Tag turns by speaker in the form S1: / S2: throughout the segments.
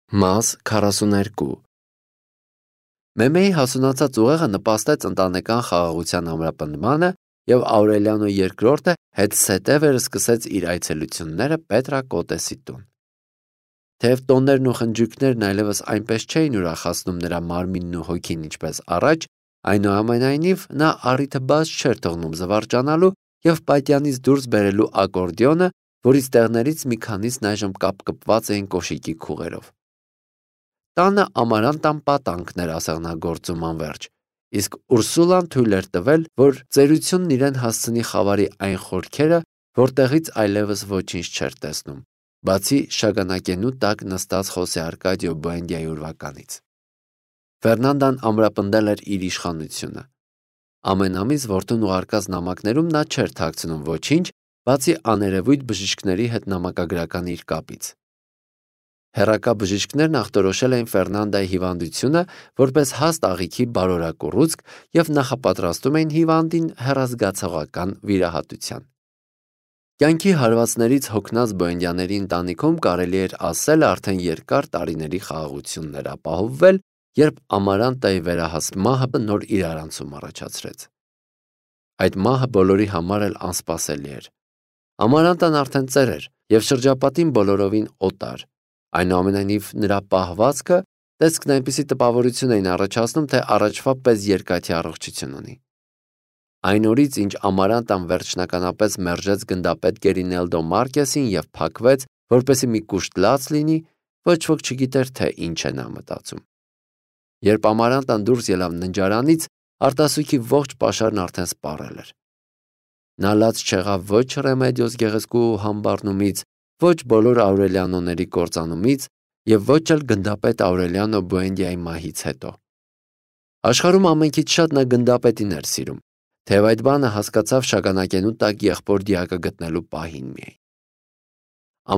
S1: Մաս 42 Մեմեի հասունացած ուղեղը նպաստեց ընտանեկան խաղաղության ամրապնդմանը և Աուրելիանո II հետսետևերը սկսեց իր այցելությունները Պետրակոտեսի տուն։ Թեև տոներն ու խնջույքներն այլևս այնպես չէին ուրախացնում նրա մարմինն ու հոգին ինչպես առաջ, այնուամենայնիվ նա առիթը բաց չէր թողնում զվարճանալու և պատյանից դուրս բերելու ակորդեոնը, որից տեղներից մի քանիսն այժմ կապկպված էին կոշիկի քուղերով։ Տանը Ամարանտան պատանքն էր ասեղնագործում անվերջ, իսկ Ուրսուլան թույլ էր տվել, որ ծերությունն իրեն հասցնի խավարի այն խորքերը, որտեղից այլևս ոչինչ չէր տեսնում, բացի շագանակենու տակ նստած Խոսե Արկադիո Բուենդիայի ուրվականից։ Ֆերնանդան ամրապնդել էր իր իշխանությունը։ Ամեն ամիս որդուն ուղարկած նամակներում նա չէր թաքցնում ոչինչ, բացի աներևույթ բժիշկների հետ նամակագրական իր կապից։ Հեռակա բժիշկներն ախտորոշել էին Ֆերնանդայի հիվանդությունը որպես հաստ աղիքի բարորակ ուռուցք և նախապատրաստում էին հիվանդին հեռազգացողական վիրահատության։ Կյանքի հարվածներից հոգնած Բոենդյաների ընտանիքում կարելի էր ասել արդեն երկար տարիների խաղաղությունն էր ապահովվել, երբ Ամարանտայի վերահասկ մահը նոր իրարանցում առաջացրեց։ Այդ մահը բոլորի համար էլ անսպասելի էր։ Ամարանտան արդեն ծեր էր և շրջապատին բոլորովին օտար։ Այնուամենայնիվ նրա պահվածքը, տեսքն այնպիսի տպավորություն էին առաջացնում, թե առաջվա պես երկաթի առողջություն ունի։ Այն օրից, ինչ Ամարանտան վերջնականապես մերժեց գնդապետ Գերինելդո Մարկեսին և փակվեց, որպեսզի մի կուշտ լաց լինի, ոչ ոք չգիտեր, թե ինչ է նա մտածում։ Երբ Ամարանտան դուրս ելավ ննջարանից, արտասուքի ողջ պաշարն արդեն սպառել էր։ Նա լաց չեղավ ոչ Ռեմեդիոս գեղեցկու համբառնումից, ոչ բոլոր Աուրելիանոների կործանումից և ոչ էլ գնդապետ Աուրելիանո Բուենդիայի մահից հետո։ Աշխարհում ամենքից շատ նա գնդապետին էր սիրում, թեև այդ բանը հասկացավ շագանակենու տակ եղբոր դիակը գտնելու պահին միայն։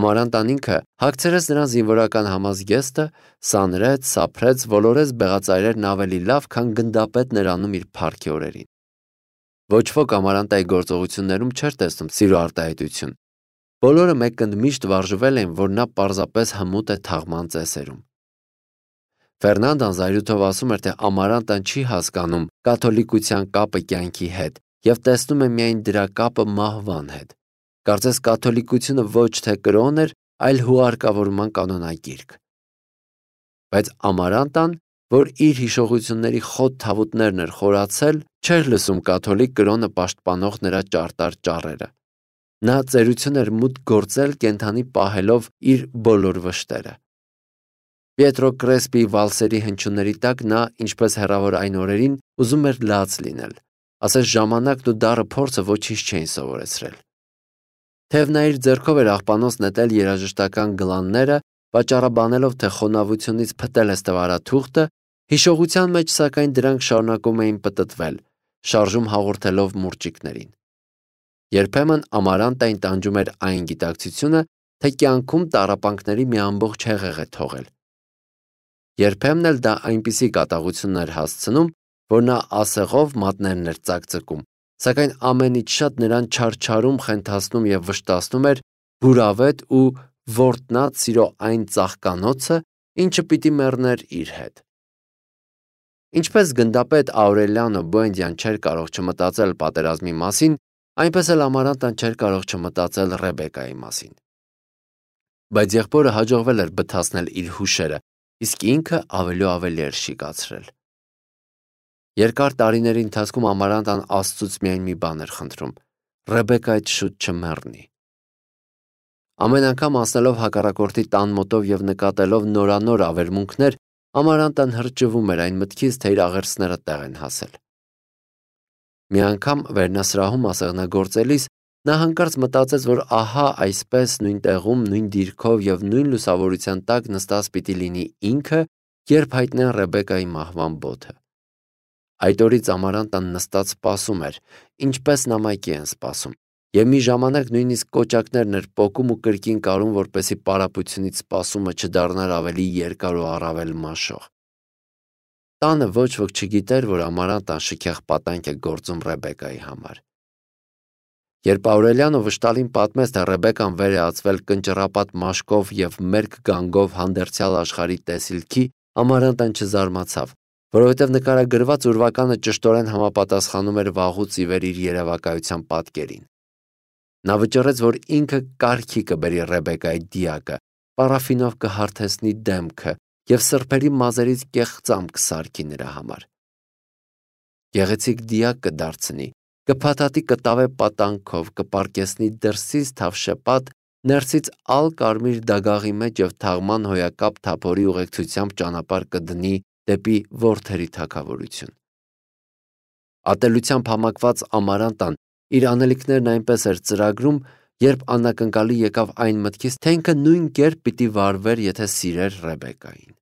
S1: Ամարանտան ինքը հագցրեց նրան զինվորական համազգեստը, սանրեց, սափրեց, ոլորեց բեղածայրերն ավելի լավ, քան գնդապետն էր անում իր փառքի օրերին։ Ոչ ոք Ամարանտայի գործողություններում չէր տեսնում սիրո արտահայտություն։ Բոլորը մեկընդ միշտ վարժվել էին, որ նա պարզապես հմուտ է թաղման ծեսերում։ Ֆերնանդան զայրույթով ասում էր, թե Ամարանտան չի հասկանում կաթոլիկության կապը կյանքի հետ և տեսնում է միայն դրա կապը մահվան հետ։ Կարծես կաթոլիկությունը ոչ թե կրոն էր, այլ հուղարկավորման կանոնագիրք։ Բայց Ամարանտան, որ իր հիշողությունների խոտ թավուտներն էր խորացել, չէր լսում կաթոլիկ կրոնը պաշտպանող նրա ճարտար ճառերը։ Նա ծերություն էր մուտք գործել կենդանի պահելով իր բոլոր վշտերը։ Պիետրո Կրեսպիի վալսերի հնչյունների տակ նա, ինչպես հեռավոր այն օրերին, ուզում էր լաց լինել, ասես ժամանակն ու դառը փորձը ոչինչ չէին սովորեցրել։ Թեև նա իր ձեռքով էր աղբանոց նետել երաժշտական գլանները, վաճառաբանելով, թե խոնավությունից փտել է ստվարաթուղթը, հիշողության մեջ, սակայն, դրանք շարունակում էին պտտվել, շարժում հաղորդելով մուրճիկներին։ Երբեմն Ամարանտային տանջում էր այն գիտակցությունը, թե կյանքում տառապանքների մի ամբողջ հեղեղ է թողել։ Երբեմն էլ դա այնպիսի կատաղություն էր հասցնում, որ նա ասեղով մատներն էր ծակծկում, սակայն ամենից շատ նրան չարչարում, խենթացնում և վշտացնում էր հուրավետ ու որտնած սիրո այն ծաղկանոցը, ինչը պիտի մեռներ իր հետ։ Ինչպես գնդապետ Աուրելիանո Բուենդիան չէր կարող չմտածել պատերազմի մասին, այնպես էլ Ամարանտան չէր կարող չմտածել Ռեբեկայի մասին։ Բայց եղբորը հաջողվել էր բթացնել իր հուշերը, իսկ ինքը ավելի ու ավելի էր շիկացրել։ Երկար տարիների ընթացքում Ամարանտան Աստծուց միայն մի բան էր խնդրում՝ Ռեբեկայից շուտ չմեռնի։ Ամեն անգամ անցնելով հակառակորդի տան մոտով և նկատելով նորանոր ավերմունքներ, Ամարանտան հրճվում էր այն մտքից, թե իր աղերսները տեղ են հասել։ Մի անգամ վերնասրահում ասեղնագործելիս նա հանկարծ մտածեց, որ ահա այսպես նույն տեղում, նույն դիրքով և նույն լուսավորության տակ նստած պիտի լինի ինքը, երբ հայտնեն Ռեբեկայի մահվան բոթը։ Այդ օրից Ամարանտան նստած սպասում էր, ինչպես նամակի են սպասում, և մի ժամանակ նույնիսկ կոճակներն էր պոկում ու կրկին կարում, որպեսզի պարապությունից սպասումը չդառնար ավելի երկար ու առավել մաշող։ Տանը ոչ ոք չգիտեր, որ Ամարանտան շքեղ պատանք է գործում Ռեբեկայի համար։ Երբ Աուրելիանը վշտալին պատմեց, թե Ռեբեկան վեր է ածվել կնճռապատ մաշկով եւ մերկ գանգով հանդերձյալ աշխարհի տեսիլքի, Ամարանտան չզարմացավ, որովհետև նկարագրված ուրվականը ճշտորեն համապատասխանում էր վաղուց ի վեր իր երևակայության պատկերին։ Նա վճռեց, որ ինքը կարգի կբերի Ռեբեկայի դիակը, պարաֆինով կհարթեցնի դեմքը եւ սրբերի մազերից կեղծամ կսարքի նրա համար։ Գեղեցիկ դիակ կդարձնի, կփաթաթի կտավե պատանքով, կպարկեսնի դրսից թավշեպատ, ներսից ալ կարմիր դագաղի մեջ եւ թաղման հոյակապ թափորի ուղեկցությամբ ճանապարհ կդնի դեպի որդերի թագավորություն։ Ատելությամբ համակված Ամարանտան իր անելիքներն այնպես էր ծրագրում, երբ անակնկալի եկավ այն մտքից, թե ինքը նույն կերպ պիտի վարվեր, եթե սիրեր Ռեբեկային։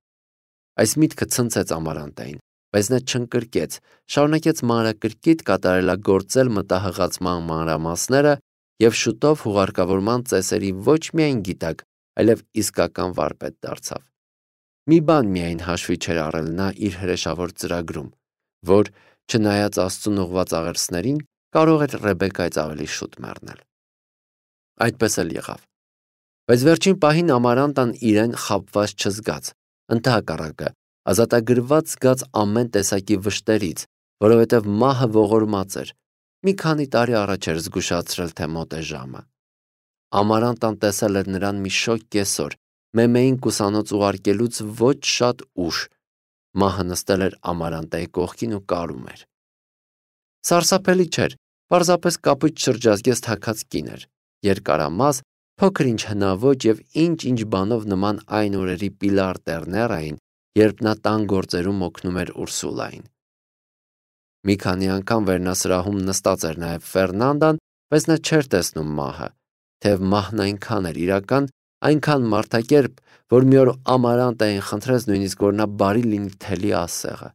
S1: Այս միտքը ցնցեց Ամարանտային, բայց նա չընկրկեց, շարունակեց մանրակրկիտ կատարելագործել մտահղացման մանրամասները եւ շուտով հուղարկավորման ծեսերի ոչ միայն գիտակ, այլև իսկական վարպետ դարձավ։ Մի բան միայն հաշվի չէր առել նա իր հրեշավոր ծրագրում, որ, չնայած Աստծուն ուղված աղերսներին, կարող էր Ռեբեկայից ավելի շուտ մեռնել։ Այդպես էլ եղավ։ Բայց վերջին պահին Ամարանտան իրեն խաբված չզգաց, ընդհակառակը, ազատագրված զգաց ամեն տեսակի վշտերից, որովհետև մահը ողորմած էր։ Մի քանի տարի առաջ էր զգուշացրել, թե մոտ է ժամը։ Ամարանտան տեսել էր նրան մի շոգ կեսօր, Մեմեին կուսանոց ուղարկելուց ոչ շատ ուշ։ Մահը նստել էր Ամարանտայի կողքին ու կարում էր։ Սարսափելի չէր, պարզապես կապույտ շրջազգեստ հագած կին էր, երկարամաս, փոքր-ինչ հնաոճ եւ ինչ-ինչ բանով նման այն օրերի Պիլար Տերներային, երբ նա տան գործերում օգնում էր Ուրսուլային։ Մի քանի անգամ վերնասրահում նստած էր նաեւ Ֆերնանդան, բայց նա չէր տեսնում մահը, թեև մահն այնքան էր իրական, այնքան մարդակերպ, որ մի օր Ամարանտային խնդրեց նույնիսկ, որ նա բարի լինի թելի ասեղը։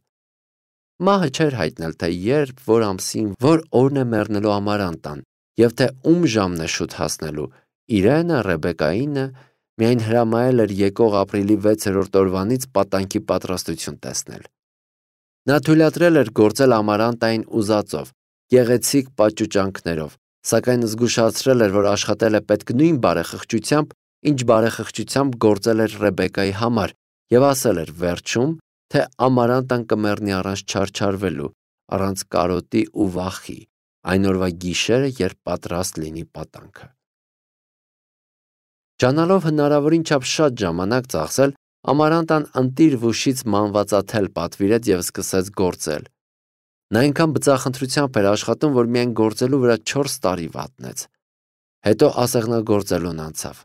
S1: Մահը չէր հայտնել, թե երբ, որ ամսին, որ օրն է մեռնելու Ամարանտան, եւ թե ում ժամն է շուտ հասնելու, իրենը, Ռեբեկայինը, միայն հրամայել էր եկող ապրիլի 6-րդ օրվանից պատանքի պատրաստություն տեսնել։ Նա թույլատրել էր գործել Ամարանտային ուզածով, գեղեցիկ պատճուճանքներով, սակայն զգուշացրել էր, որ աշխատել է պետք նույն բարեխղճությամբ, ինչ բարեխղճությամբ գործել էր Ռեբեկայի համար, եւ ասել էր վերջում, թե Ամարանտան կմեռնի առանց չարչարվելու, առանց կարոտի ու վախի, այն օրվա գիշերը, երբ պատրաստ լինի պատանքը։ Ճանալով հնարավորին չափ շատ ժամանակ ծախսել, Ամարանտան ընտիր վուշից մանվածաթել պատվիրեց եւ սկսեց գործել։ Նա այնքան բծախնդրությամբ էր աշխատում, որ միայն գործելու վրա 4 տարի վատնեց։ Հետո ասեղնագործելուն անցավ։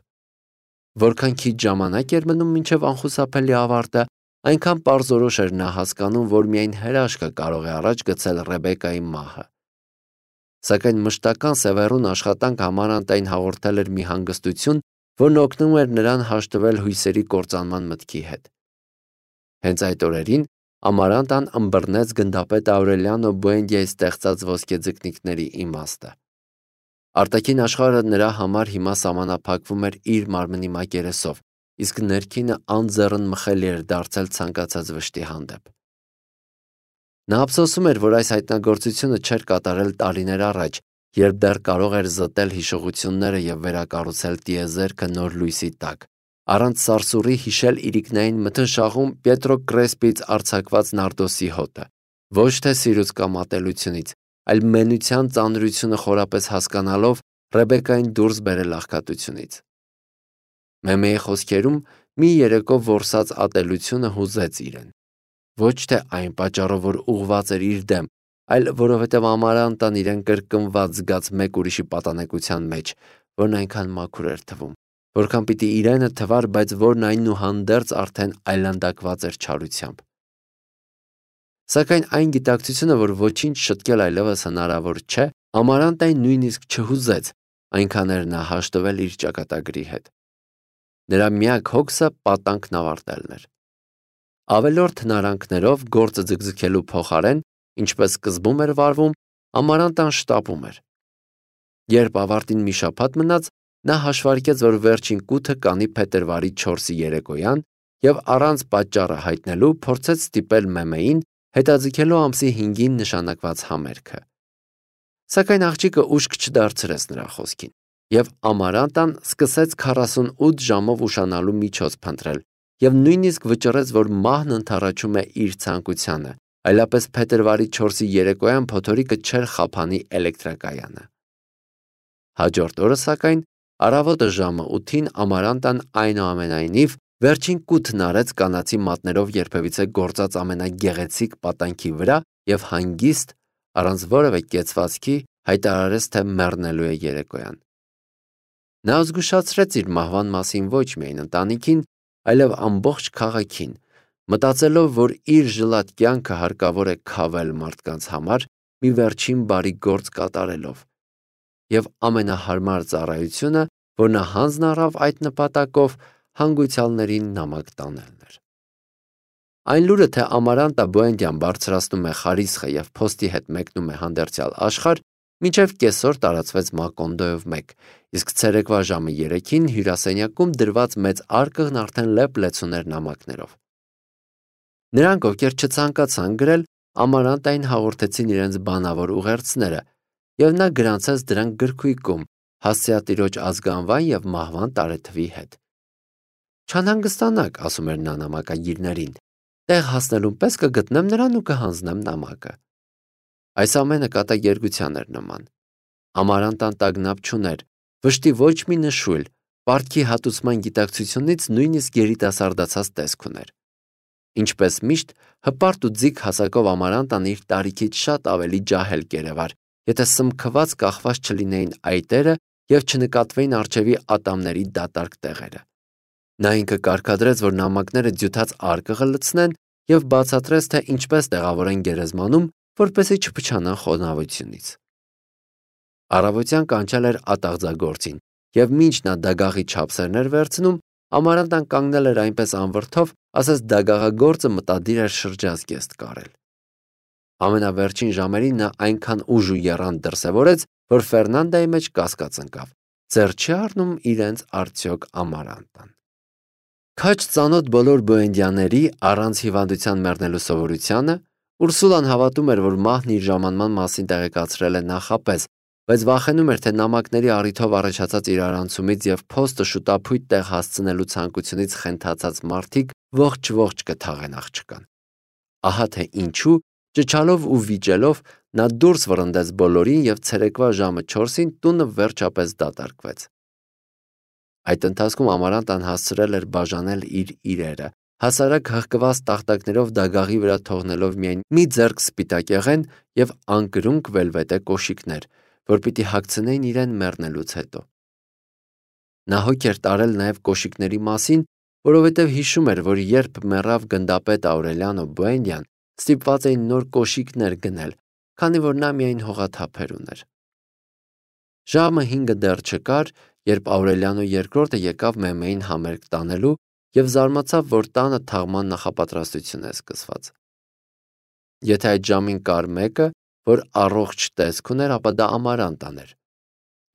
S1: Որքան քիչ ժամանակ էր մնում մինչև անխուսափելի ավարտը, այնքան պարզորոշ էր նա հասկանում, որ միայն հրաշքը կարող է առաջ գցել Ռեբեկայի մահը։ Սակայն մշտական սևեռուն աշխատանք Ամարանտային հաղորդել էր մի հանգստություն, որն օգնում էր նրան հաշտվել հույսերի կործանման մտքի հետ։ Հենց այդ օրերին Ամարանտան ըմբռնեց գնդապետ Աուրելիանո Բուենդիայի ստեղծած ոսկեձկնիկների իմաստը։ Արտաքին աշխարհը նրա համար հիմա սահմանափակվում էր իր մարմնի մակերեսով, իսկ ներքինը անձեռն մխելի էր դարձել ցանկացած վշտի հանդեպ։ Նա ափսոսում էր, որ այս հայտնագործությունը չէր կատարել տարիներ առաջ, երբ դեռ կարող էր զտել հիշողությունները եւ վերակառուցել տիեզերքը նոր լույսի տակ, առանց սարսուռի հիշել իրիկնային մթնշաղում Պետրո Կրեսպից արձակված նարդոսի հոտը, ոչ թե սիրուց կամ ատելությունից, այլ մենության ծանրությունը խորապես հասկանալով Ռեբեկային դուրս բերել աղքատությունից։ Մեմեի խոսքերում մի երեկո որսած ատելությունը հուզեց իրեն։ Ոչ թե այն պատճառով, որ ուղված էր իր դեմ, այլ որովհետև Ամարանտան իրեն կրկնված զգաց մեկ ուրիշի պատանեկության մեջ, որն այնքան մաքուր էր թվում, որքան պիտի իրենը թվար, բայց որն այնուհանդերձ արդեն այլանդակված էր չարությամբ։ Սակայն այն գիտակցությունը, որ ոչինչ շտկել այլևս հնարավոր չէ, Ամարանտային նույնիսկ չհուզեց, այնքան էր նա հաշտվել իր ճակատագրի հետ։ Նրա միակ հոգսը պատանքն ավարտելն էր։ Ավելորդ հնարանքներով գործը ձգձգելու փոխարեն, ինչպես սկզբում էր վարվում, Ամարանտան շտապում էր։ Երբ ավարտին մի շաբաթ մնաց, նա հաշվարկեց, որ վերջին կութը կանի փետրվարի 4-ի երեկոյան եւ առանց պատճառը հայտնելու փորձեց ստիպել Մեմեին հետաձգելու ամսի 5-ին նշանակված համերգը։ Սակայն աղջիկը ուշք չդարձրեց նրա խոսքին, եւ Ամարանտան սկսեց 48 ժամով ուշանալու միջոց փնտրել, եւ նույնիսկ վճռեց, որ մահն ընդառաջում է իր ցանկությանը, այլապես փետրվարի 4-ի երեկոյան փոթորիկը չէր խափանի էլեկտրակայանը։ Հաջորդ օրը, սակայն, առավոտը ժամը 8-ին Ամարանտան այնուամենայնիվ վերջին կութն արեց կանացի մատներով երբևիցե գործած ամենագեղեցիկ պատանքի վրա եւ հանգիստ, առանց որևէ կեցվածքի, հայտարարեց, թե մեռնելու է երեկոյան։ Նա զգուշացրեց իր մահվան մասին ոչ միայն ընտանիքին, այլև ամբողջ քաղաքին, մտածելով, որ իր ժլատ կյանքը հարկավոր է քավել մարդկանց համար մի վերջին բարի գործ կատարելով, եւ ամենահարմար ծառայությունը, որ նա հանձն առավ այդ նպատակով, հանգուցյալներին նամակ տանելն էր։ Այն լուրը, թե Ամարանտա Բուենդյան բարձրացնում է խարիսխը եւ փոստի հետ մեկնում է հանդերձյալ աշխարհ, մինչև կեսօր տարածվեց Մակոնդոյով 1, իսկ ցերեկվա ժամը 3-ին հյուրասենյակում դրված մեծ արկղն արդեն լեփ-լեցուն էր նամակներով։ Նրանք, ովքեր չցանկացան գրել, Ամարանտային հաղորդեցին իրենց բանավոր ուղերձները, եւ նա գրանցեց դրանք գրքույկում, հասցեատիրոջ ազգանվան եւ մահվան տարեթվի հետ։ Չանհանգստանաք, ասում էր նա նամակագիրներին, տեղ հասնելուն պես կգտնեմ նրան ու կհանձնեմ նամակը։ Այս ամենը կատակերգության էր նման։ Ամարանտան տագնապ չուներ, վշտի ոչ մի նշույլ, պարտքի հատուցման գիտակցությունից նույնիսկ երիտասարդացած տեսք ուներ։ Ինչպես միշտ, հպարտ ու ձիգ հասակով Ամարանտան իր տարիքից շատ ավելի ջահել կերևար, եթե սմքված կախված չլինեին այտերը եւ չնկատվեին արջևի ատամների դատարկ տեղերը։ Նա ինքը կարգադրեց, որ նամակները ձյութած արկղը լցնեն եւ բացատրեց, թե ինչպես տեղավորեն գերեզմանում, որպեսզի չփչանան խոնավությունից։ Առավոտյան կանչել էր ատաղձագործին, եւ մինչ նա դագաղի չափսերն էր վերցնում, Ամարանտան կանգնել էր այնպես անվրդով, ասես դագաղագործը մտադիր էր շրջազգեստ կարել։ Ամենավերջին ժամերին նա այնքան ուժ ու եռանդ դրսևորեց, որ Ֆերնանդայի մեջ կասկած ընկավ. ձեռ չի առնում իրենց արդյոք Ամարանտան։ Քաջ ծանոթ բոլոր բոենդյաների առանց հիվանդության մեռնելու սովորությանը, Ուրսուլան հավատում էր, որ մահն իր ժամանման մասին տեղեկացրել է նախապես, բայց վախենում էր, թե նամակների առիթով առաջացած իրարանցումից եւ փոստը շուտափույթ տեղ հասցնելու ցանկությունից խենթացած մարդիկ ողջ կթաղեն աղջկան։ Ահա թե ինչու, ճչալով ու վիճելով, նա դուրս վռնդեց բոլորին եւ ցերեկվա ժամը 4-ին տունը վերջապես դատարկվեց։ Այդ ընթացքում Ամարանտան հասցրել էր բաժանել իր իրերը, հասարակ հղկված տախտակներով դագաղի վրա թողնելով միայն մի ձեռք սպիտակեղեն եւ անկրունկ վելվետե կոշիկներ, որ պիտի հագցնեին իրեն մեռնելուց հետո։ Նա հոգ էր տարել նաեւ կոշիկների մասին, որովհետեւ հիշում էր, որ երբ մեռավ գնդապետ Աուրելիանո Բուենդյան, ստիպված էին նոր կոշիկներ գնել, քանի որ նա միայն հողաթափեր ուներ։ Ժամը 5-ը դեռ չկար, երբ Աուրելիանո II եկավ Մեմեին համերգ տանելու եւ զարմացավ, որ տանը թաղման նախապատրաստություն է սկսված։ Եթե այդ ժամին կար մեկը, որ առողջ տեսք ուներ, ապա դա Ամարանտան էր։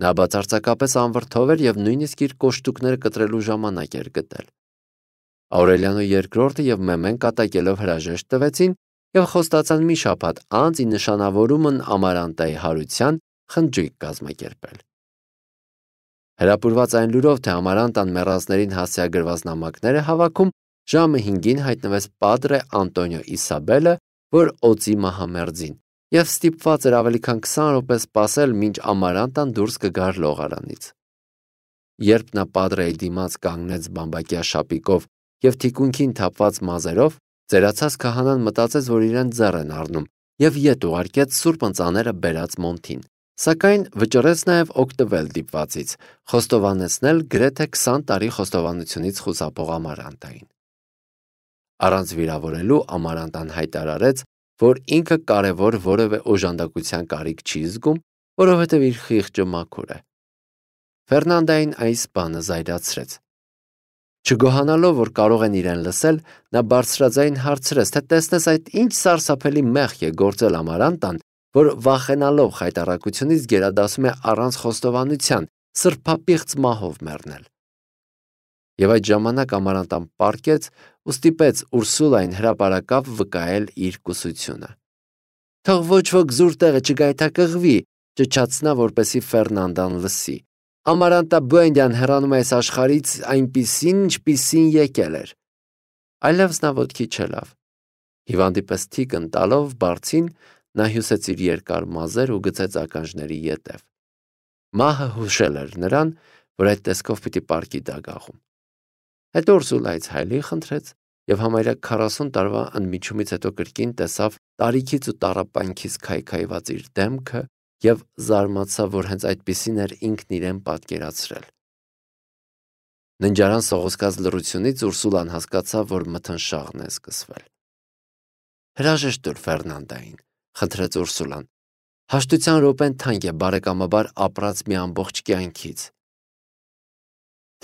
S1: Նա բացարձակապես անվրդով էր եւ նույնիսկ իր կոշտուկները կտրելու ժամանակ էր գտել։ Աուրելիանո II եւ Մեմեն կատակելով հրաժեշտ տվեցին եւ խոստացան մի շաբաթ անց ի նշանավորումն Ամարանտայի հարության խնջույք կազմակերպել։ Հրապուրված այն լուրով, թե Ամարանտան մեռածներին հասցեագրված նամակներ է հավաքում, ժամը 5-ին հայտնվեց Պատրե Անտոնիո Իսաբելը, որ օծի մահամերձին, եւ ստիպված էր ավելի քան 20 րոպե սպասել, մինչ Ամարանտան դուրս կգար լողարանից։ Երբ նա Պատրեի դիմաց կանգնեց բամբակյա շապիկով եւ թիկունքին թափված մազերով, ծերացած քահանան մտածեց, որ իրեն ձեռ են առնում եւ ետ ուղարկեց սուրբ ընծաները բերած մոնթին, սակայն վճռեց նաեւ օգտվել դիպվածից, խոստովանեցնել գրեթե 20 տարի խոստովանությունից խուսափող Ամարանտային։ Առանց վիրավորելու Ամարանտան հայտարարեց, որ ինքը կարևոր որևէ օժանդակության կարիք չի զգում, որովհետև իր խիղճը մաքուր է։ Ֆերնանդային այս բանը զայրացրեց։ Չգոհանալով, որ կարող են իրեն լսել, նա բարձրաձայն հարցրեց, թե տեսնես այդ ինչ սարսափելի մեղք է գործել Ամարանտան, որ վախենալով խայտառակությունից գերադասում է առանց խոստովանության, սրբապիղծ մահով մեռնել։ Եվ այդ ժամանակ Ամարանտան պառկեց ու ստիպեց Ուրսուլային հրապարակավ վկայել իր կուսությունը։ Թող ոչ ոք զուր տեղը չգայթակղվի, ճչացնա, որպեսի Ֆերնանդան լսի. «Ամարանտա Բուենդյան հեռանում է այս աշխարհից այնպիսին, ինչպիսին եկել էր»։ Այլևս նա ոտքի չելավ։ Հիվանդի պես թիկն տալով բարձին, նա հյուսեց իր երկար մազեր ու գցեց ականջների ետև։ Մահը հուշել էր նրան, որ այդ տեսքով պիտի պառկի դագաղում։ Հետո Ուրսուլայից հայելի խնդրեց եւ համարյա 40 տարվա ընդմիջումից հետո կրկին տեսավ տարիքից ու տառապանքից քայքայված իր դեմքը եւ զարմացավ, որ հենց այդպիսին էր ինքն իրեն պատկերացրել։ Ննջարան սողոսկած լռությունից Ուրսուլան հասկացավ, որ մթնշաղն է սկսվել։ «Հրաժեշտ տուր Ֆերնանդային», խնդրեց Ուրսուլան։ «Հաշտության րոպեն թանկ է բարեկամաբար ապրած մի ամբողջ կյանքից»։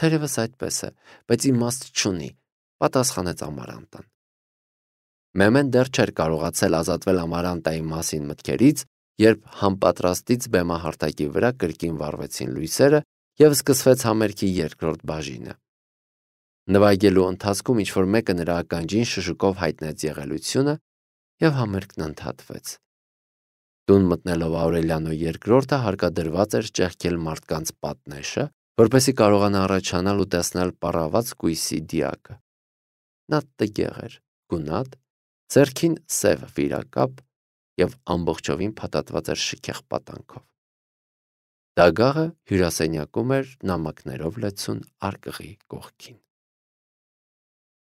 S1: «Թերևս այդպես է, բայց իմաստ չունի», պատասխանեց Ամարանտան։ Մեմեն դեռ չէր կարողացել ազատվել Ամարանտայի մասին մտքերից, երբ համպատրաստից բեմահարթակի վրա կրկին վառվեցին լույսերը եւ սկսվեց համերգի երկրորդ բաժինը։ Նվագելու ընթացքում ինչ-որ մեկը նրա ականջին շշուկով հայտնեց եղելությունը եւ համերգն ընդհատվեց։ Տուն մտնելով Աուրելիանո երկրորդը հարկադրված էր ճեղքել մարդկանց պատնեշը, որպեսզի կարողանա առաջանալ ու տեսնել պառաված կույսի դիակը։ Նա տգեղ էր, գունատ, ձեռքին սև վիրակապ եւ ամբողջովին փաթաթված էր շքեղ պատանքով։ Դագաղը հյուրասենյակում էր նամակներով լեցուն արկղի կողքին։